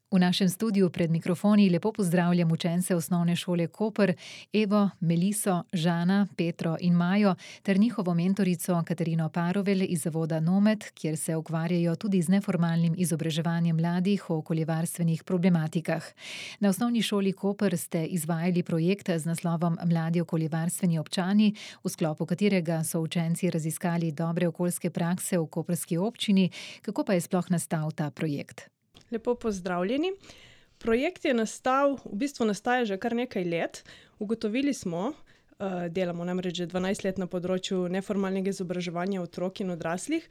V našem studiu pred mikrofoni lepo pozdravljam učence osnovne šole Koper, Evo, Meliso, Žana, Petro in Majo ter njihovo mentorico Katarino Parovelj iz zavoda Nomed, kjer se ukvarjajo tudi z neformalnim izobraževanjem mladih o okoljevarstvenih problematikah. Na osnovni šoli Koper ste izvajali projekt z naslovom Mladi okoljevarstveni občani, v sklopu katerega so učenci raziskali dobre okoljske prakse v koprski občini. Kako pa je sploh nastal ta projekt? Lepo pozdravljeni. Projekt je nastaja že kar nekaj let. Ugotovili smo, delamo namreč že 12 let na področju neformalnega izobraževanja otrok in odraslih,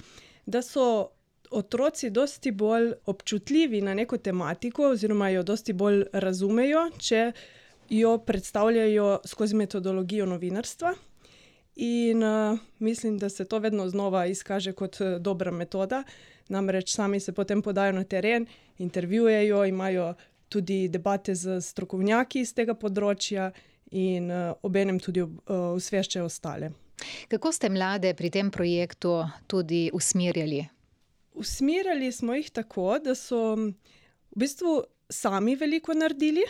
da so otroci dosti bolj občutljivi na neko tematiko oziroma jo dosti bolj razumejo, če jo predstavljajo skozi metodologijo novinarstva. In mislim, da se to vedno znova izkaže kot dobra metoda. Namreč sami se potem podajo na teren, intervjujejo, imajo tudi debate z strokovnjaki iz tega področja in obenem tudi osveščajo ostale. Kako ste mlade pri tem projektu tudi usmerjali? Usmerjali smo jih tako, da so v bistvu sami veliko naredili.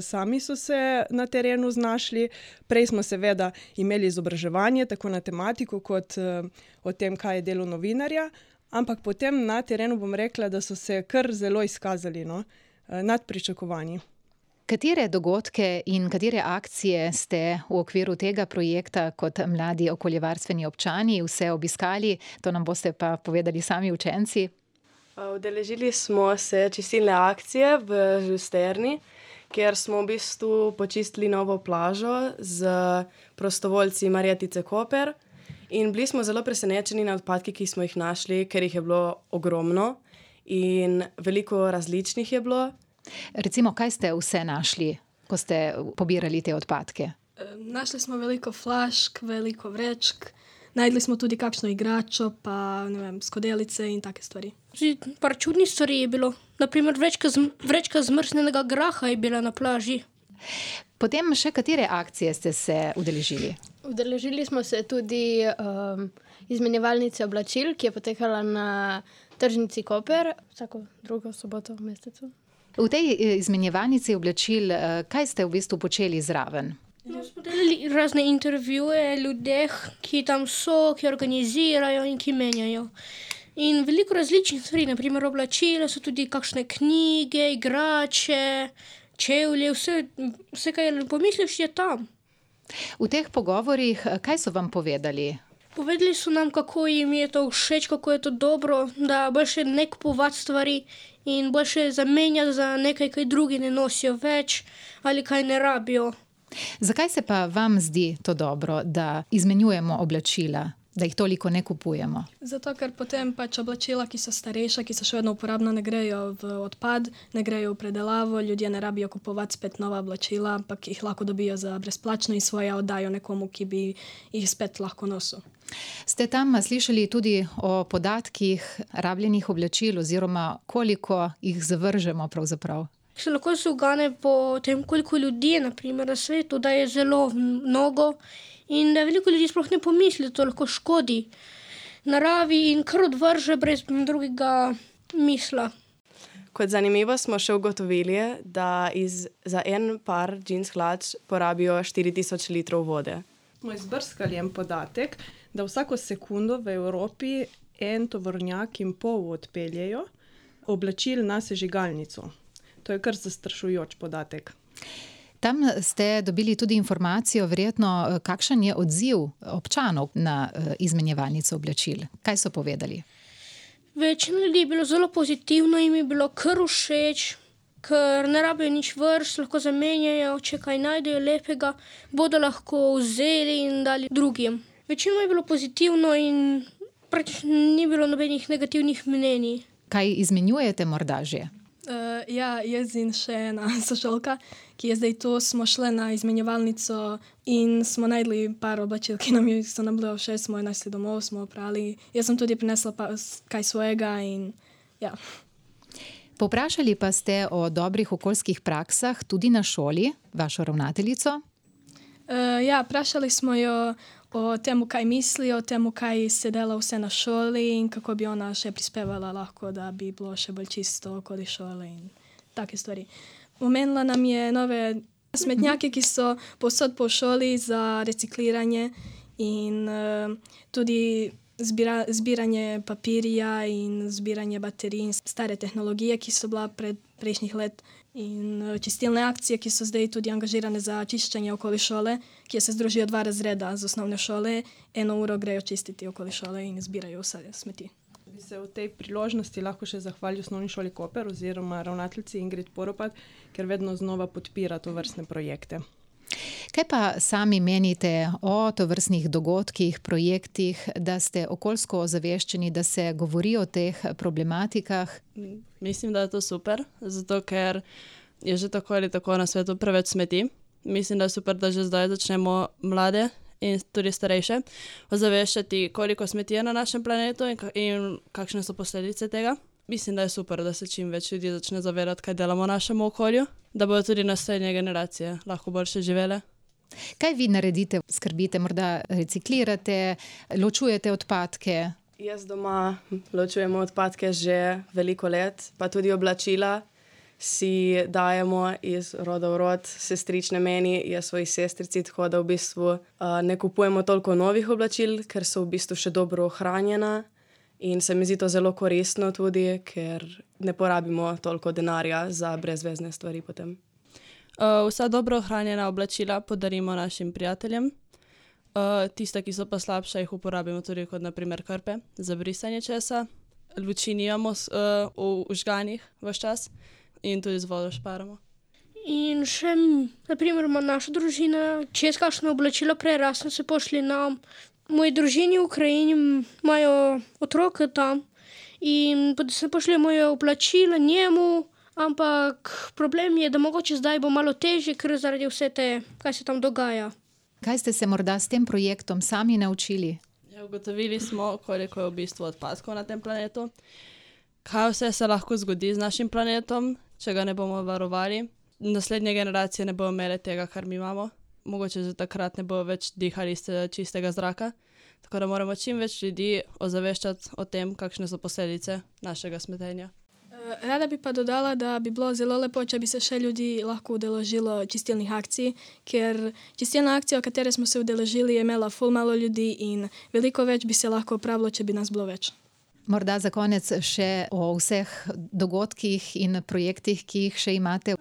Sami so se na terenu znašli. Prej smo seveda imeli izobraževanje tako na tematiko kot o tem, kaj je delo novinarja, ampak potem na terenu bom rekla, da so se kar zelo izkazali, nad pričakovanji. Katere dogodke in katere akcije ste v okviru tega projekta kot mladi okoljevarstveni občani vse obiskali? To nam boste pa povedali sami učenci. Udeležili smo se čistilne akcije v Žusterni, kjer smo v bistvu počistili novo plažo z prostovoljci Marjetice Koper. In bili smo zelo presenečeni na odpadki, ki smo jih našli, ker jih je bilo ogromno in veliko različnih je bilo. Recimo, kaj ste vse našli, ko ste pobirali te odpadke? Našli smo veliko flašk, veliko vrečk, najdli smo tudi kakšno igračo, pa skodelice in take stvari. Par čudnih stvari je bilo. Naprimer, vrečka zmrznjenega graha je bila na plaži. Potem še katere akcije ste se udeležili? Udeležili smo se tudi izmenjevalnice oblačil, ki je potekala na tržnici Koper vsako drugo soboto v mesecu. V tej izmenjevalnici oblačil, kaj ste v bistvu počeli zraven? Smo delali razne intervjuje ljudeh, ki tam so, ki organizirajo in ki menjajo. In veliko različnih stvari, naprimer oblačila, so tudi kakšne knjige, igrače, čevlje, vse kaj pomisliš, je tam. V teh pogovorih, kaj so vam povedali? Povedali so nam, kako jim je to všeč, kako je to dobro, da boljše ne kupovati stvari in boljše zamenjati za nekaj, kaj drugi ne nosijo več ali kaj ne rabijo. Zakaj se pa vam zdi to dobro, da izmenjujemo oblačila, da jih toliko ne kupujemo? Zato, ker potem oblačila, ki so starejša, ki so še vedno uporabna, ne grejo v odpad, ne grejo v predelavo, ljudje ne rabijo kupovati spet nova oblačila, ampak jih lahko dobijo za brezplačno in svoje oddajo nekomu, ki bi jih spet lahko nosil. Ste tam slišali tudi o podatkih rabljenih oblačil oziroma koliko jih zavržemo pravzaprav? Se lahko se ugane po tem, koliko ljudi je naprimer na svetu, da je zelo mnogo in da veliko ljudi sploh ne pomisli, da to lahko škodi naravi in kar odvrže brez drugega misla. Kot zanimivo smo še ugotovili, da za en par džins hlač porabijo 4000 litrov vode. Smo izbrskali en podatek, da vsako sekundo v Evropi 1,5 tovornjak odpeljejo oblačil na sežigalnico. To je kar zastrašujoč podatek. Tam ste dobili tudi informacijo, verjetno, kakšen je odziv občanov na izmenjevalnico oblačil. Kaj so povedali? Večina ljudi je bilo zelo pozitivno, jim je bilo kar všeč, ker ne rabijo nič vrst, lahko zamenjajo, če kaj najdejo lepega, bodo lahko vzeli in dali drugim. Večino je bilo pozitivno in praktično ni bilo nobenih negativnih mnenj. Kaj izmenjujete morda že? Jaz in še ena sošolka, ki je zdaj tu, smo šli na izmenjevalnico in smo najdli par oblačil, ki so nam bile všeč, smo jo našli domov, smo oprali. Jaz sem tudi prinesla kaj svojega in ja. Povprašali pa ste o dobrih okoljskih praksah tudi na šoli, vašo ravnateljico? Vprašali smo jo o tem, kaj misli, o tem, kaj se dela vse na šoli in kako bi ona še prispevala lahko, da bi bilo še bolj čisto okoli šole in take stvari. Omenila nam je nove smetnjake, ki so povsod po šoli za recikliranje in tudi zbiranje papirja in zbiranje baterij in stare tehnologije, ki so bila prejšnjih let. In čistilne akcije, ki so zdaj tudi angažirane za čiščenje okoli šole, kjer se združijo 2 razreda z osnovne šole, 1 uro grejo čistiti okoli šole in zbirajo vse smeti. Bi se v tej priložnosti lahko še zahvalil Osnovni šoli Koper oziroma ravnateljici Ingrid Poropat, ker vedno znova podpira tovrstne projekte. Kaj pa sami menite o tovrstnih dogodkih, projektih, da ste okoljsko ozaveščeni, da se govori o teh problematikah? Mislim, da je to super, zato ker je že tako ali tako na svetu preveč smeti. Mislim, da je super, da že zdaj začnemo mlade in tudi starejše ozaveščati, koliko smeti je na našem planetu in kakšne so posledice tega. Mislim, da je super, da se čim več ljudi začne zavedati, kaj delamo v našem okolju, da bodo tudi naslednje generacije lahko boljše živele. Kaj vi naredite? Skrbite, morda reciklirate, ločujete odpadke? Jaz doma ločujemo odpadke že veliko let, pa tudi oblačila si dajemo iz roda v rod, sestrične meni, jaz svoji sestrici, tako da v bistvu ne kupujemo toliko novih oblačil, ker so v bistvu še dobro ohranjena. In se mi zdi to zelo koristno tudi, ker ne porabimo toliko denarja za brezvezne stvari potem. Vsa dobro ohranjena oblačila podarimo našim prijateljem. Tiste, ki so pa slabša, jih uporabimo tudi kot na primer krpe za brisanje česa. Luči nimamo v žganih ves čas in tudi z vodo šparamo. In še, na primer, ima naša družina, čez kakšno oblačilo prerasno se pošli nam. V moji družini v Ukrajini imajo otroke tam in se pošlje moje oblačila njemu, ampak problem je, da mogoče zdaj bo malo težje, ker zaradi vse te, kaj se tam dogaja. Kaj ste se morda s tem projektom sami naučili? Ja, ugotovili smo, koliko je v bistvu odpadkov na tem planetu, kaj vse se lahko zgodi z našim planetom, če ga ne bomo varovali. Naslednje generacije ne bodo imele tega, kar mi imamo. Mogoče že takrat ne bo več dihali iz čistega zraka, tako da moramo čim več ljudi ozaveščati o tem, kakšne so posledice našega smetenja. Rada bi pa dodala, da bi bilo zelo lepo, če bi se še ljudi lahko udeležilo čistilnih akcij, ker čistilna akcija, v kateri smo se udeležili, je imela ful malo ljudi in veliko več bi se lahko opravilo, če bi nas bilo več. Morda za konec še o vseh dogodkih in projektih, ki jih še imate.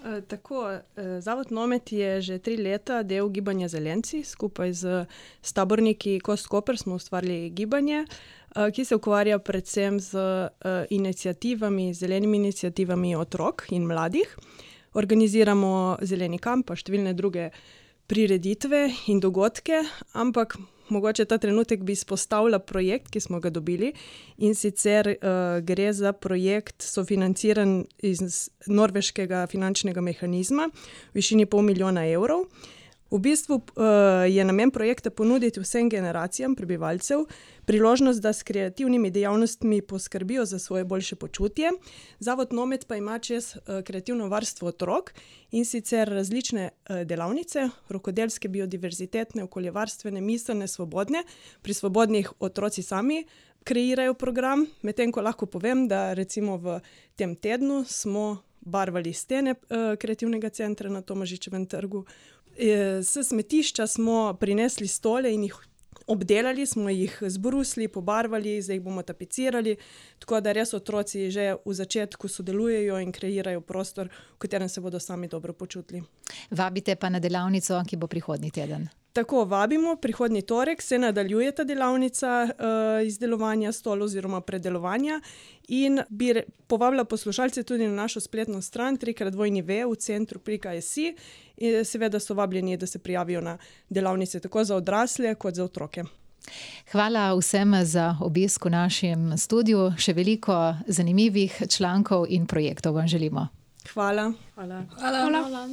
Zavod Nomet je že 3 leta del gibanja Zelenci. Skupaj z taborniki Kost Koper smo ustvarili gibanje, ki se ukvarja predvsem z iniciativami, zelenimi iniciativami otrok in mladih. Organiziramo zeleni kamp, pa številne druge prireditve in dogodke, ampak mogoče ta trenutek bi izpostavila projekt, ki smo ga dobili, in sicer gre za projekt sofinanciran iz norveškega finančnega mehanizma v višini 500 000 evrov. V bistvu je namen projekta ponuditi vsem generacijam prebivalcev priložnost, da s kreativnimi dejavnostmi poskrbijo za svoje boljše počutje. Zavod Nomet pa ima čez kreativno varstvo otrok in sicer različne delavnice, rokodelske, biodiverzitetne, okoljevarstvene, miselne, svobodne. Pri svobodnih otroci sami kreirajo program, medtem ko lahko povem, da recimo v tem tednu smo barvali stene kreativnega centra na Tomažičevem trgu. S smetišča smo prinesli stole in jih obdelali, smo jih zbrusli, pobarvali, zdaj jih bomo tapicirali, tako da res otroci že v začetku sodelujejo in kreirajo prostor, v katerem se bodo sami dobro počutili. Vabite pa na delavnico, ki bo prihodnji teden. Tako, vabimo, prihodnji torek se nadaljuje ta delavnica izdelovanja stolov oziroma predelovanja in bi povabila poslušalce tudi na našo spletno stran www.centru.si in seveda so vabljeni, da se prijavijo na delavnice tako za odrasle kot za otroke. Hvala vsem za obisk v našem studiu. Še veliko zanimivih člankov in projektov vam želimo. Hvala. Hvala. Hvala.